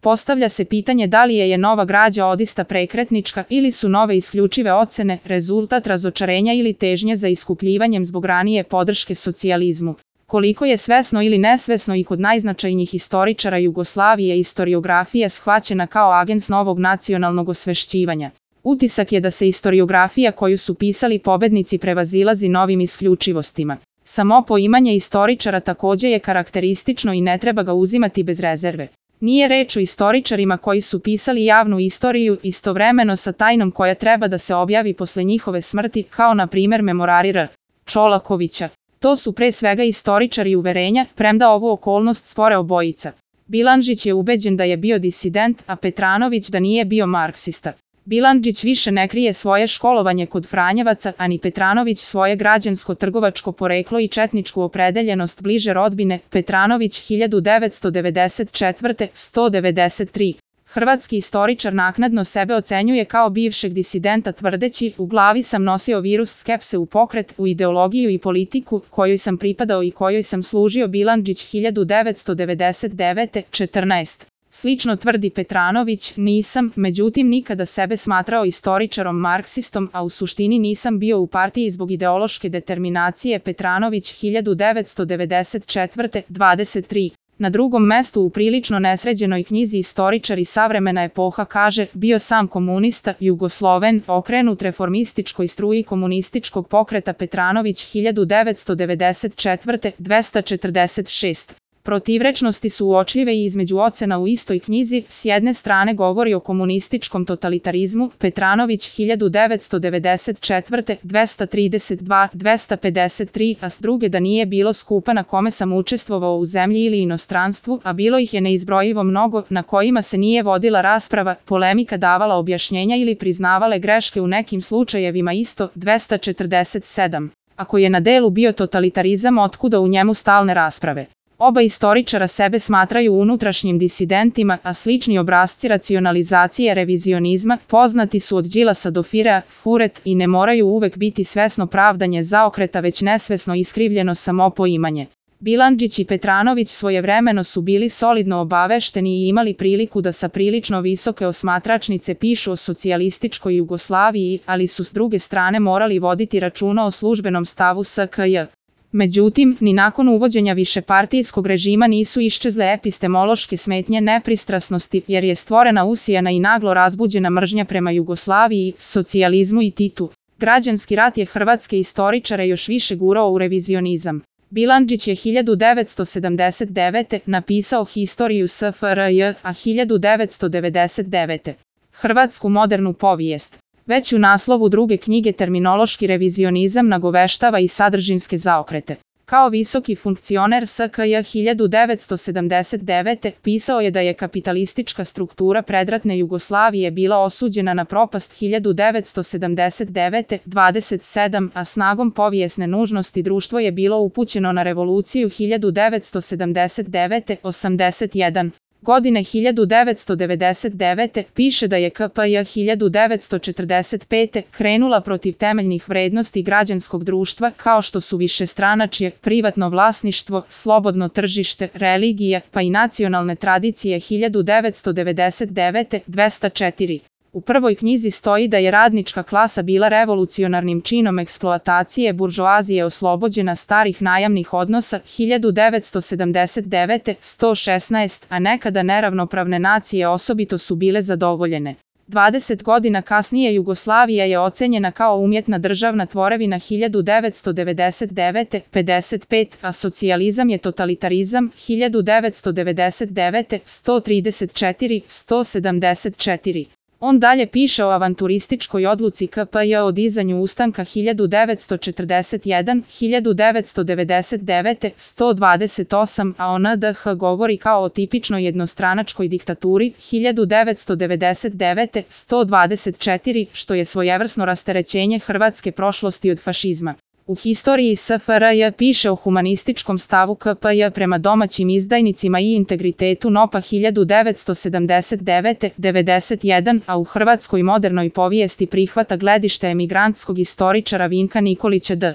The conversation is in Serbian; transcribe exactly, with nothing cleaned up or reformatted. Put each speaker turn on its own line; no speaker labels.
Postavlja se pitanje da li je je nova građa odista prekretnička ili su nove isključive ocene rezultat razočarenja ili težnje za iskupljivanjem zbog ranije podrške socijalizmu. Koliko je svesno ili nesvesno i kod najznačajnijih istoričara Jugoslavije istoriografija shvaćena kao agens novog nacionalnog osvešćivanja. Utisak je da se istoriografija koju su pisali pobednici prevazilazi novim isključivostima. Samo poimanje istoričara takođe je karakteristično i ne treba ga uzimati bez rezerve. Nije reč o istoričarima koji su pisali javnu istoriju istovremeno sa tajnom koja treba da se objavi posle njihove smrti, kao na primer memorari R. Čolakovića. To su pre svega istoričari uverenja, premda ovu okolnost spore obojica. Bilandžić je ubeđen da je bio disident, a Petranović da nije bio marksista. Bilandžić više ne krije svoje školovanje kod Franjevaca, a ni Petranović svoje građansko-trgovačko poreklo i četničku opredeljenost bliže rodbine. Petranović hiljadu devetsto devedeset četvrte. sto devedeset tri. Hrvatski istoričar naknadno sebe ocenjuje kao bivšeg disidenta tvrdeći: u glavi sam nosio virus skepse u pokret, u ideologiju i politiku, kojoj sam pripadao i kojoj sam služio. Bilandžić hiljadu devetsto devedeset devete. četrnaest. Slično tvrdi Petranović: nisam, međutim nikada sebe smatrao istoričarom marksistom, a u suštini nisam bio u partiji zbog ideološke determinacije. Petranović hiljadu devetsto devedeset četvrte. dvadeset tri. Na drugom mestu u prilično nesređenoj knjizi Istoričari savremena epoha kaže: bio sam komunista, Jugosloven, okrenut reformističkoj struji komunističkog pokreta. Petranović hiljadu devetsto devedeset četvrte. dvesta četrdeset šest. Protivrečnosti su uočljive i između ocena u istoj knjizi. S jedne strane govori o komunističkom totalitarizmu, Petranović hiljadu devetsto devedeset četvrte. dvesta trideset dva. dvesta pedeset tri, a s druge da nije bilo skupa na kome sam učestvovao u zemlji ili inostranstvu, a bilo ih je neizbrojivo mnogo, na kojima se nije vodila rasprava, polemika, davala objašnjenja ili priznavale greške u nekim slučajevima isto. dvesta četrdeset sedam. Ako je na delu bio totalitarizam, otkuda u njemu stalne rasprave? Oba istoričara sebe smatraju unutrašnjim disidentima, a slični obrasci racionalizacije revizionizma poznati su od Đilasa do Firea, Furet, i ne moraju uvek biti svesno pravdanje zaokreta, već nesvesno iskrivljeno samopoimanje. Bilandžić i Petranović svojevremeno su bili solidno obavešteni i imali priliku da sa prilično visoke osmatračnice pišu o socijalističkoj Jugoslaviji, ali su s druge strane morali voditi računa o službenom stavu S K J. Međutim, ni nakon uvođenja višepartijskog režima nisu iščezle epistemološke smetnje nepristrasnosti, jer je stvorena usijana i naglo razbuđena mržnja prema Jugoslaviji, socijalizmu i Titu. Građanski rat je hrvatske istoričare još više gurao u revizionizam. Bilandžić je hiljadu devetsto sedamdeset devete. napisao Historiju S F R J, a hiljadu devetsto devedeset devete. Hrvatsku modernu povijest. Već u naslovu druge knjige terminološki revizionizam nagoveštava i sadržinske zaokrete. Kao visoki funkcioner S K J hiljadu devetsto sedamdeset devete. pisao je da je kapitalistička struktura predratne Jugoslavije bila osuđena na propast hiljadu devetsto sedamdeset devete. dvadeset sedam, a snagom povijesne nužnosti društvo je bilo upućeno na revoluciju hiljadu devetsto sedamdeset devete. osamdeset jedan. Godine hiljadu devetsto devedeset devete. piše da je K P J hiljadu devetsto četrdeset pete. krenula protiv temeljnih vrednosti građanskog društva, kao što su višestranačje, privatno vlasništvo, slobodno tržište, religija, pa i nacionalne tradicije. Hiljadu devetsto devedeset devete. dvesta četiri. U prvoj knjizi stoji da je radnička klasa bila revolucionarnim činom eksploatacije buržoazije oslobođena starih najamnih odnosa. Hiljadu devetsto sedamdeset devete. sto šesnaest, a nekada neravnopravne nacije osobito su bile zadovoljene. dvadeset godina kasnije Jugoslavija je ocenjena kao umjetna državna tvorevina. Hiljadu devetsto devedeset devete. pedeset pet, a socijalizam je totalitarizam. Hiljadu devetsto devedeset devete. sto trideset četiri. sto sedamdeset četiri. On dalje piše o avanturističkoj odluci K P J o dizanju ustanka. Hiljadu devetsto četrdeset jedan. hiljadu devetsto devedeset devete. sto dvadeset osam, a o N D H govori kao o tipičnoj jednostranačkoj diktaturi. Hiljadu devetsto devedeset devete. sto dvadeset četiri, što je svojevrsno rasterećenje hrvatske prošlosti od fašizma. U Historiji S F R J piše o humanističkom stavu K P J prema domaćim izdajnicima i integritetu N O P A. Hiljadu devetsto sedamdeset devete. devedeset jedan, a u hrvatskoj modernoj povijesti prihvata gledište emigrantskog istoričara Vinka Nikolića D.